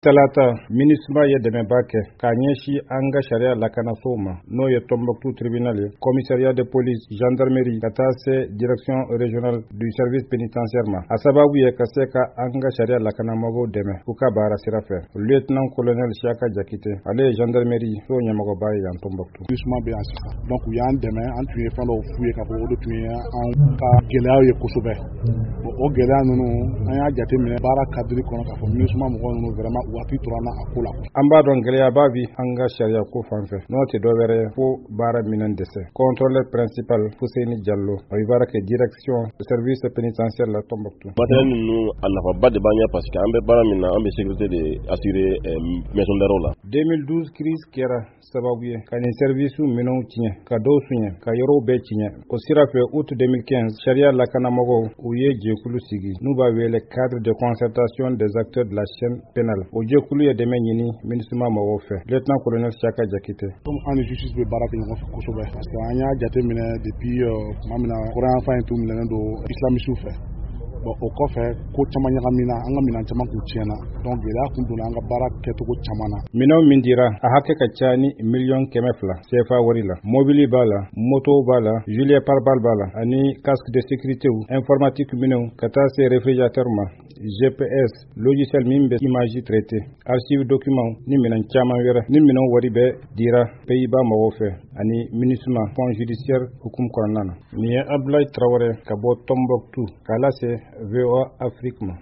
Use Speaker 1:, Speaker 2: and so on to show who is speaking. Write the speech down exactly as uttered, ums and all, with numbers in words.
Speaker 1: Talata, MINUSMA ye dɛmɛba kɛ k'a ɲɛsin an ka sariya lakanasow ma, n'o ye Tombouctou tribunal ye, commissariat de police, gendarmerie, ka taa se direction régionale du service pénitentiaire ma. A sababu ye ka se ka an ka sariya lakanamɔgɔw dɛmɛ u ka baara sira fɛ. Lieutenant colonel Siaka Jakite, ale ye gendarmerie so ɲɛmɔgɔba ye yan Tombouctou.
Speaker 2: MINUSMA bɛ yan sisan, donc u y'an dɛmɛ. An tun ye fɛn dɔw f'u ye k'a fɔ o de tun ye an ka gɛlɛyaw ye kosɛbɛ. Bon, o gɛlɛya ninnu, an y'a jateminɛ baara cadre kɔnɔ k'a fɔ MINUSMA mɔgɔ ninnu vraiment waati tora an na a ko la.
Speaker 1: An b'a dɔn gɛlɛyaba bi an ka sariya ko fan fɛ, n'o tɛ dɔwɛrɛ ye fo baara minɛn dɛsɛ. Contrôleur principal Fuseni Jallo, a bɛ baara kɛ direction service pénitentiaire la Tombouctou.
Speaker 3: Matériel ninnu, a nafaba de b'an ɲɛ, parce que an bɛ baara min na, an bɛ sécurité de assurer maison d'arrêt la.
Speaker 1: deux mille douze crise kɛra sababu ye ka nin service minɛnw tiɲɛ, ka dɔw suɲɛ, ka yɔrɔw bɛɛ tiɲɛ. O sira fɛ, août deux mille quinze, sariya lakanamɔgɔw, u ye jɛkulu sigi n'u b'a wele Cadre de concertation des acteurs de la chaîne pénale. O jɛkulu ye dɛmɛ ɲini MINUSMA mɔgɔw fɛ. Lieutenant colonel Siaka Jakite.
Speaker 2: Comme an ni justice bɛ baara kɛ ɲɔgɔn fɛ kosɛbɛ, parce que an y'a jateminɛ depuis tuma min na kɔrɔyanfan in tun minɛnen don islamisiw fɛ, bon, o kɔfɛ ko caman ɲagamina, an ka minɛn caman kun tiɲɛna, donc gɛlɛya kun donna an ka baara kɛcogo caman na.
Speaker 1: Minɛnw min dira, a hakɛ ka ca ni miliyɔn kɛmɛ fila C F A wari la. Mobili b'a la, moto b'a la, gilet pare-balles b'a la, ani casque de sécurité, informatique minɛnw, ka taa se réfrigérateur ma, G P S, logiciel min bɛ image traité, archive document ni minɛn caman wɛrɛ. Ni minɛnw wari bɛɛ dira Pays-Bas mɔgɔw fɛ ani MINUSMA fonds judiciaire hukumu kɔnɔna na. Nin ye Abdoulaye Traoré ka bɔ Tombouctou k'a lase V O A Afrique ma.